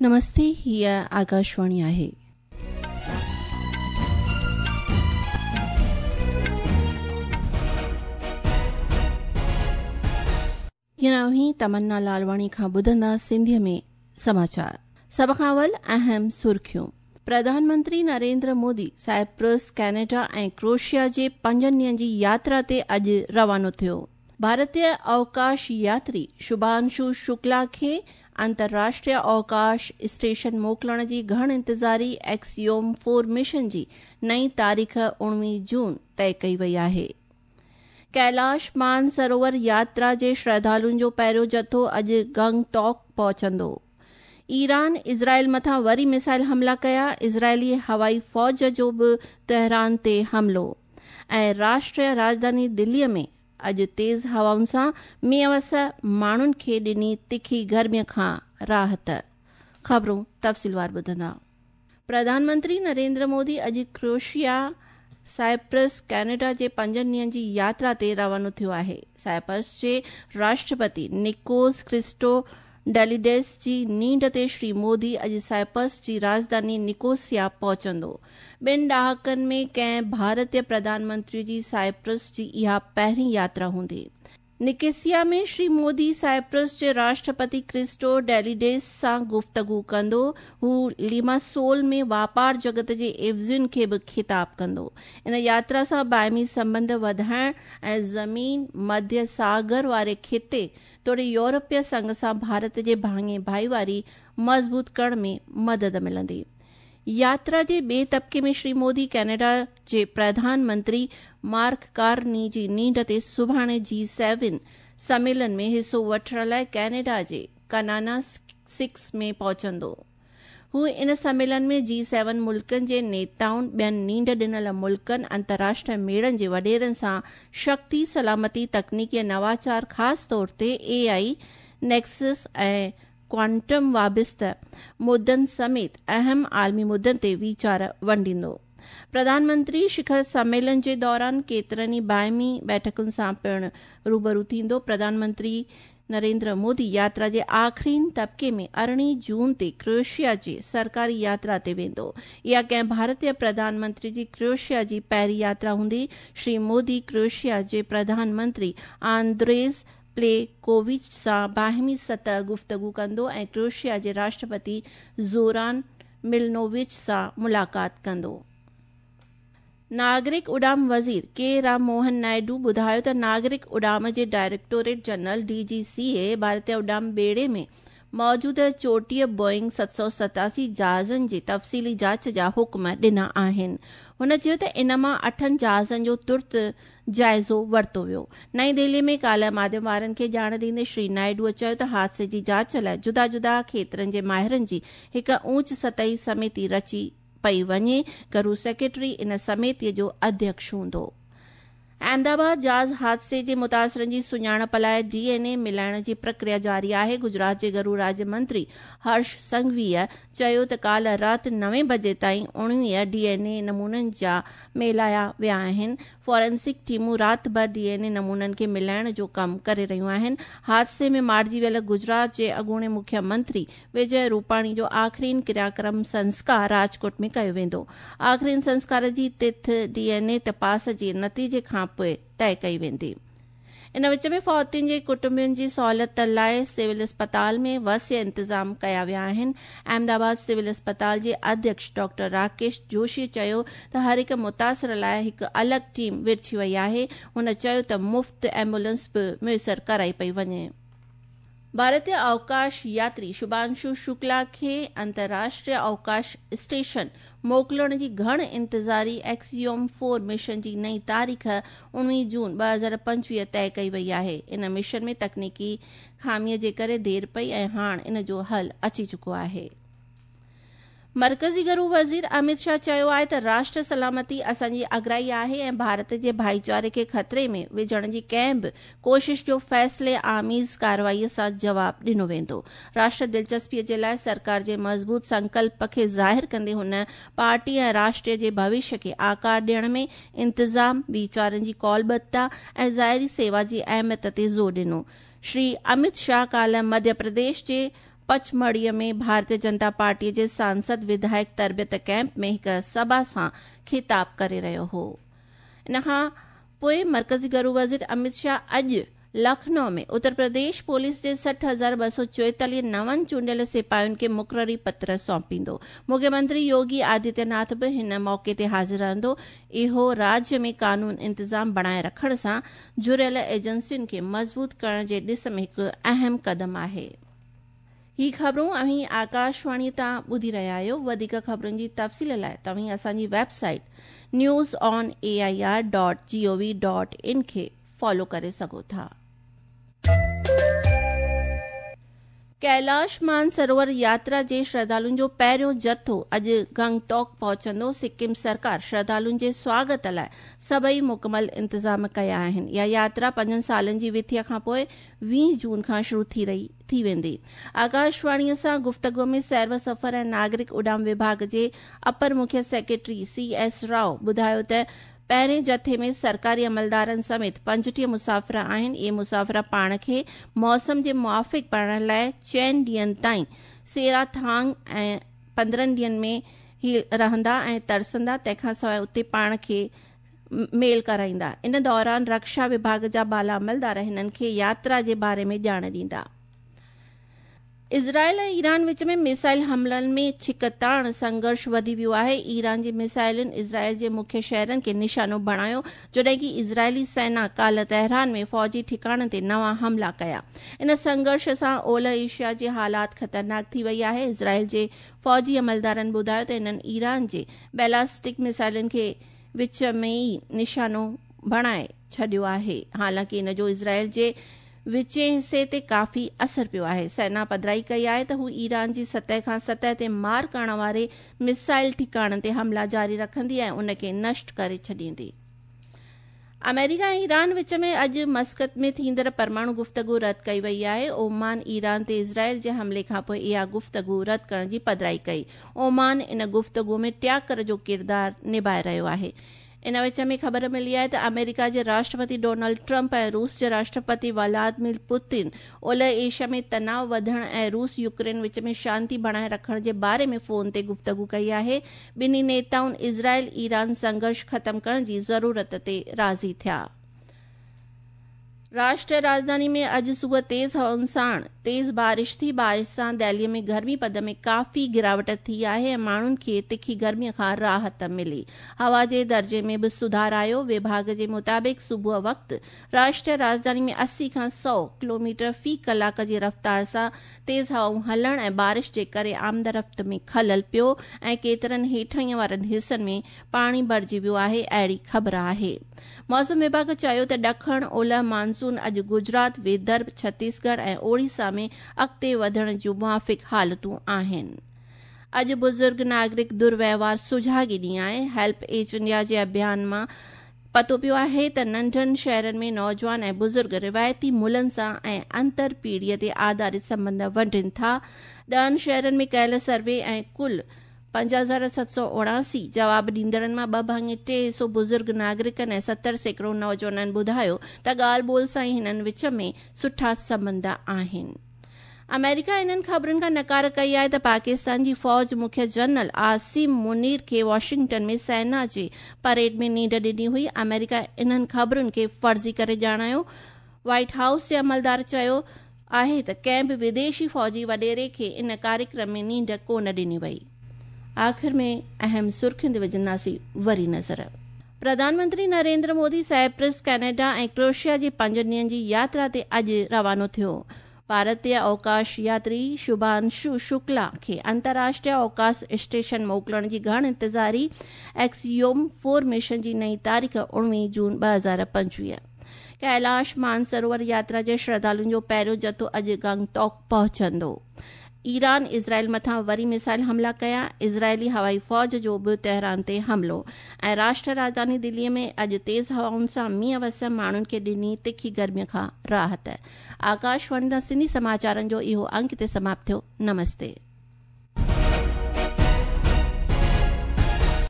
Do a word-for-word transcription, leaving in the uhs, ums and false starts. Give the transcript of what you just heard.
नमस्ते, हीअ आकाशवाणी आहे। हींअर तमन्ना लालवाणी खां ॿुधंदा सिंधीअ में समाचार। सभ खां अवल अहम सुर्खियूं। प्रधानमंत्री नरेंद्र मोदी साइप्रस, कनाडा ऐं क्रोएशिया जे पंजनि ॾींहनि जी यात्रा ते अॼु रवानो थियो। भारतीय अवकाश यात्री शुभांशु शुक्ला खे अंतर्राष्ट्रीय अवकाश स्टेशन मोकिलण जी घण इंतज़ारी एक्सियोम फोर मिशन जी नई तारीख़ उणिवीह जून तय कई वई आहे। कैलाश मानसरोवर यात्रा जे श्रद्धालुनि जो पहिरियों जथो अॼु गंगटोक पहुचंदो। ईरान इज़राइल मथां वरी मिसाइल हमला कया, इज़राइली हवाई फ़ौज जो बि तेहरान ते हमलो। ऐं राष्ट्रीय राजधानी दिल्लीअ में अॼु तेज़ हवाउनि सां मींहं वस माण्हुनि खे ॾिनी तिखी गर्मीअ खां राहत। ख़बरूं तफ़सीलवार ॿुधंदा। प्रधानमंत्री नरेंद्र मोदी अॼु क्रोएशिया, साइप्रस, कनाडा जे पंजनि ॾींहनि जी यात्रा ते रवानो थियो आहे। साइप्रस जे राष्ट्रपति निकोस क्रिस्टो डेलिडेस जी नींड ते श्री मोदी अॼु साइप्रस जी राजधानी निकोसिया पहुचंदो। ॿिनि ॾहाकनि में कंहिं भारतीय प्रधानमंत्री जी साइप्रस जी इहा पहिरीं यात्रा हूंदी। निकोसिया में श्री मोदी साइप्रस जे राष्ट्रपति क्रिस्टो डेलिडेस सां गुफ़्तगू कंदो। हू लिमासोल में वापार जगत जे एवज़ियुनि खे बि ख़िताब कंदो। इन यात्रा सां बाहिमी संबंध वधाइण ऐं ज़मीन मध्य सागर वारे ख़िते तोड़े यूरोपीय संघ सां भारत जे भाङे भाईवारी मज़बूत करण में मदद मिलंदी। यात्रा जे ॿिए तबिके में श्री मोदी कनाडा जे प्रधानमंत्री मार्क कार्नी जी नींड ते सुभाणे जी सेवन सम्मेलन में हिसो वठण लाइ कनाडा जे कनाना सिक्स में पहुचंदो। हू इन सम्मेलन में जी सेवन मुल्कनि जे नेताउनि, ॿियनि नींड ॾिनल मुल्कनि, अंतर्राष्ट्रीय मेड़नि जे वॾेरनि सां शक्ति, सलामती, तकनीकी ऐं नवाचार, ख़ासि तौर ते ए आई, नेक्सस ऐं क्वांटम वाबिस्त मुद्दनि समेत अहम आलमी मुद्दनि ते वीचार वंडींदो। प्रधानमंत्री शिखर सम्मेलन जे दौरान केतिरनि ई बाहिमी बैठकुनि सां पिणु रूबरू थींदो। प्रधानमंत्री नरेंद्र मोदी यात्रा जे आख़िरी तबिके में अरिड़हीं जून ते क्रोएशिया जी सरकारी यात्रा ते वेंदो। इहा कंहिं भारतीय प्रधानमंत्री जी क्रोएशिया जी पहिरीं यात्रा हूंदी। श्री मोदी क्रोएशिया जे प्रधानमंत्री आंद्रेज प्लेकोविच सां बाहिमी सतह गुफ़्तगू कंदो ऐं क्रोएशिया जे राष्ट्रपति ज़ोरान मिलनोविच सां मुलाक़ात कंदो। नागरिक उड़ाम वज़ीर के राम मोहन नायडू ॿुधायो त नागरिक उड़ाम जे directorate general D G C ए भारतीय उड़ाम ॿेड़े में मौजूद चोटीह बोइंग सत सौ सतासी जहाज़नि जी तफ़सीली जांच जा हुक्म ॾिना आहिनि। हुन चयो त इन मां अठनि जहाज़नि जो तुर्त जाइज़ो वरितो वियो। नई दिल्ली में काल्ह माध्यम वारनि खे ॼाण ॾींदे श्री नायडूअ चयो त हादसे जी जांच लाइ जुदा जुदा खेत्रनि जे माहिरनि जी हिकु ऊंच सतही समिति रची पई वञे। घरू सेक्रेटरी इन समितीअ जो अध्यक्ष हूंदो। अहमदाबाद जहाज़ हादसे जे मुतासिरनि जी सुञाणप लाइ डी एन ए मिलाइण जी प्रक्रिया जारी आहे। गुजरात जे घरू राज्य मंत्री हर्ष संघवीअ चयो त काल्ह राति नवे बजे ताईं उणिवीह डी एन ए नमूननि जा मिलाया विया आहिनि। फॉरेंसिक टीमूं राति भरि डी एन ए नमूननि खे मिलाइण जो कमु करे रहियूं आहिनि। हादसे में मारिजी वियल गुजरात जे अॻूणे मुख्यमंत्री विजय रूपाणी जो आख़िरी क्रियाक्रम संस्कार राजकोट में कयो वेंदो। आख़िरी संस्कार जी तिथ डी एन ए तपास जे नतीजे खां पोइ तय कई वेंदी। इन विच में फ़ौतियुनि जे कुटुंबियुनि जी सहूलियत लाइ सिविल अस्पताल में वसिय इंतज़ाम कया विया आहिनि। अहमदाबाद सिविल अस्पताल जे अध्यक्ष डॉक्टर राकेश जोशी चयो त हर हिकु मुतासिर लाइ हिकु अलॻि टीम विरछी वई आहे। हुन चयो त मुफ़्त एम्बुलेंस बि मुयसर कराई पई वञे। भारतीय अवकाश यात्री शुभांशु शुक्ला खे अंतर्राष्ट्रीय अवकाश स्टेशन मोकिलण जी घण इंतज़ारी एक्सियोम फोर मिशन जी नई तारीख़ उणिवीह जून ॿ हज़ार पंजवीह तय कई वई आहे। इन मिशन में तकनीकी ख़ामीअ जे करे देरि पई ऐं हाणे इन जो हल अची चुको आहे। मरकज़ी घरू वज़ीर अमित शाह चयो आहे त राष्ट्र सलामती असांजी अगराई आहे ऐं भारत जे भाईचारे खे ख़तरे में विझण जी कंहिं बि कोशिश जो फ़ैसिले आमेज़ कार्रवाईअ सां जवाब ॾिनो वेंदो। राष्ट्र दिलचस्पीअ जे लाइ सरकार जे मज़बूत संकल्प खे ज़ाहिर कंदे हुन पार्टी ऐं राष्ट्र जे भविष्य खे आकार ॾियण में इंतज़ाम, वीचारनि जी कौलबद्धता ऐं ज़ाहिरी सेवा जी अहमियत ते ज़ोर ॾिनो। श्री अमित शाह काल्ह मध्य प्रदेश जे پچمڙهيء ۾ ڀارتيه جنتا پارٽيء جي سانسد وڌايڪ تربيت ڪيمپ ۾ هڪ سڀا سان خطاب ڪري رهيو هو. ان کان پوءِ مرڪزي گهرو وزير امت شاهه اڄ لکنؤ ۾ اتر پرديش پوليس جي سٺ هزار ٻه سؤ چوئيتاليهه نون چونڊيل سپاهين کي مقرري پتر سونپيندو. مکيه منتري يوگي آدتيه ناٿ به هن موقعي تي حاضر رهندو. اهو راجيه ۾ قانون انتظام بڻائي رکڻ سان جڙيل ايجنسين کي مضبوط ڪرڻ جي ڏس ۾ هڪ اهم قدم آهي. هي خبرون اوهين آڪاشواڻي تان ٻڌي رهيا آهيو. وڌيڪ خبرن جي تفصيل لاءِ توهين اسان جي website news on A I R dot G O V dot in کي فالو ڪري سگهو ٿا. ڪيلاش مانسروور ياترا جي شرڌالن جو پهريون جٿو اڄ گنگٽوڪ پهچندو. سڪم سرڪار شرڌالن جي سواگت لاءِ سڀئي مڪمل انتظام ڪيا آهن. اها ياترا پنجن سالن جي وٿيءَ کان پوءِ ويهه جون کان شروع ٿي رهي ٿي ويندي. آڪاشواڻيءَ سان گفتگو ۾ سير و سفر ۽ ناگرڪ اڏام وڀاڳ جي اپر مکيه سيڪريٽري سي ايس رائو ٻڌايو ته پهرين جٿي ۾ سرڪاري عملدارن سميت پنجٽيهه مسافر آهن. اهي مسافر پاڻ کي موسم جي موافق بڻائڻ لاءِ چئن ڏينهن تائين سيراٿانگ ۽ پندرهن ڏينهن ۾ ئي رهندا ۽ ترسندا. تنهن کان سواءِ اتي پاڻ کي ميل ڪرائيندا. ان دوران رڪشا وڀاڳ جا بالا عملدار هنن کي ياترا جي باري ۾ ڄاڻ ڏيندا. اسرائيل ۽ ايران وچ ۾ ميسائل حملن ۾ ڇڪتاڻ سنگهرش وڌي ويو آهي. ايران جي ميسائلن اسرائيل جي مکيه شهرن کي نشانو بڻايو، جڏهن ڪه اسرائيلي سينا ڪالهه تهران ۾ فوجي ٺڪاڻن تي نوان حملا ڪيا. ان سنگهرش سان اولهه ايشيا جي حالات خطرناڪ ٿي وئي آهي. اسرائيل جي فوجي عملدارن ٻڌايو ته انهن ايران جي بيلاسٽڪ ميسائلن کي وچ ۾ ئي نشانو بڻائي ڇڏيو آهي. حالانڪه ان جو اسرائيل جي وچين حصي تي ڪافي اثر پيو آهي. سينا پڌرائي ڪئي آهي ته هو ايران جي سطح کان سطح تي مار ڪرڻ واري ميسائل ٺڪاڻن تي حملا جاري رکندي ۽ ان کي نشٽ ڪري ڇڏيندي. آمريڪا ۽ ايران وچ ۾ اڄ مسقط ۾ ٿيندڙ پرماڻو گفتگو رد ڪئي وئي آهي. اومان ايران تي اسرائيل جي حملي کان پوءِ اها گفتگو رد ڪرڻ جي پڌرائي ڪئي. اومان ان گفتگو ۾ ٽياڪر جو ڪردار نڀائي رهيو آهي. ان وچ ۾ خبر ملي آهي ته آمريڪا جي راشٽرپتي ڊونلڊ ٽرمپ ۽ روس جي راشٽرپتي ولاديمير پوتن اولهه ايشيا ۾ تناءُ وڌڻ ۽ روس يوڪرين وچ ۾ شانتي بڻائي رکڻ جي باري ۾ فون تي گفتگو ڪئي آهي. ٻنهي نيتائن اسرائيل ايران سنگهرش ختم ڪرڻ جي ضرورت تي راضي ٿيا. راشٽريه راڄڌاني ۾ اڄ صبح تيز هوائن ساڻ تيز بارش ٿي. بارش سان دهليءَ ۾ گرمي پد ۾ ڪافي گراوٽ ٿي آهي ۽ ماڻهن کي تکي گرميءَ کان راحت ملي. هوا جي درجي ۾ به سڌار آيو. وڀاڳ جي مطابق صبح وقت راشٽريه راڄڌاني ۾ اسي کان سؤ ڪلوميٽر في ڪلاڪ جي رفتار سان تيز هوائون هلڻ ۽ بارش جي ڪري آمدرفت ۾ خلل پيو ۽ ڪيترن هيٺئين وارن حصن ۾ پاڻي ڀرجي ويو آهي. اهڙي خبر آهي. موسم وڀاڳ چيو ته ڏکڻ اولهه مانسون اڄ گجرات، ودرڀ، ڇتيسڳڙهه ۽ اوڙيسا ۾ اڳتي وڌڻ جون موافق حالتون آهن. اڄ بزرگ ناگرڪ درويوهار سجاڳي ڏينهن آهي. هيلپ ايج انڊيا جي اڀيان مان پتو پيو آهي ته ننڍن شهرن ۾ نوجوان ۽ بزرگ روايتي ملن سان ۽ انتر پيڙهيءَ تي آڌارت سنٻنڌ ونڊين ٿا. ڏهن شهرن ۾ ڪيل سروي ۽ ڪل پنج هزار ست سؤ اوڻاسي جواب ڏيندڙن مان ٻه ڀاڱي ٽي حصو بزرگ ناگرڪن ۽ ستر سيڪڙو نوجوانن ٻڌايو ته ڳالهه ٻولهه سان ئي هنن وچ ۾ سٺا سنٻنڌ آهن. آمريڪا انهن خبرن کان نڪار ڪئي آهي ته پاڪستان جي فوج مکيه جنرل عاصم منير کي واشنگٽن ۾ سينا جي پريڊ ۾ نينڍ ڏني هئي. آمريڪا انهن خبرن کي فرضي ڪري ڄاڻايو. وائيٽ هائوس جي عملدار چيو آهي ته ڪنهن به وديشي فوجي وڏيري کي ان ڪاريڪرم ۾ نينڍ ڪونه ڏني وئي. آخر ۾ اهم سرخين تي وجهنداسين وري نظر. Pradhan Mantri Narendra Modi Cyprus, Canada ۽ Croatia جي پنج ڏينهن جي ياترا تي اڄ روانو ٿيو. ڀارتيه اوڪاش ياتري شڀانشو شڪلا کي انترراشٽريه اوڪاش اسٽيشن موڪلڻ جي گهڻ انتظاري ايڪسيوم فور مشن جي نئين تاريخ اڻويهه جون ٻه هزار پنجويهه. ڪيلاش مانسروور ياترا جي شرڌالن جو پهريون جٿو اڄ گنگٽوڪ پهچندو. ايران اسرائيل مٿان وري ميسائل حملا ڪيا. اسرائيلي هوائي فوج جو به تهران تي حملو. ۽ راشٽر راڄڌاني دليءَ ۾ اڄ تيز هوائن سان مينهن وس، ماڻهن کي ڏني تکي گرميءَ کان راحت. آڪاشواڻي تان سنڌي سماچارن جو اهو انڪ تي سماپت ٿيو. نمستي.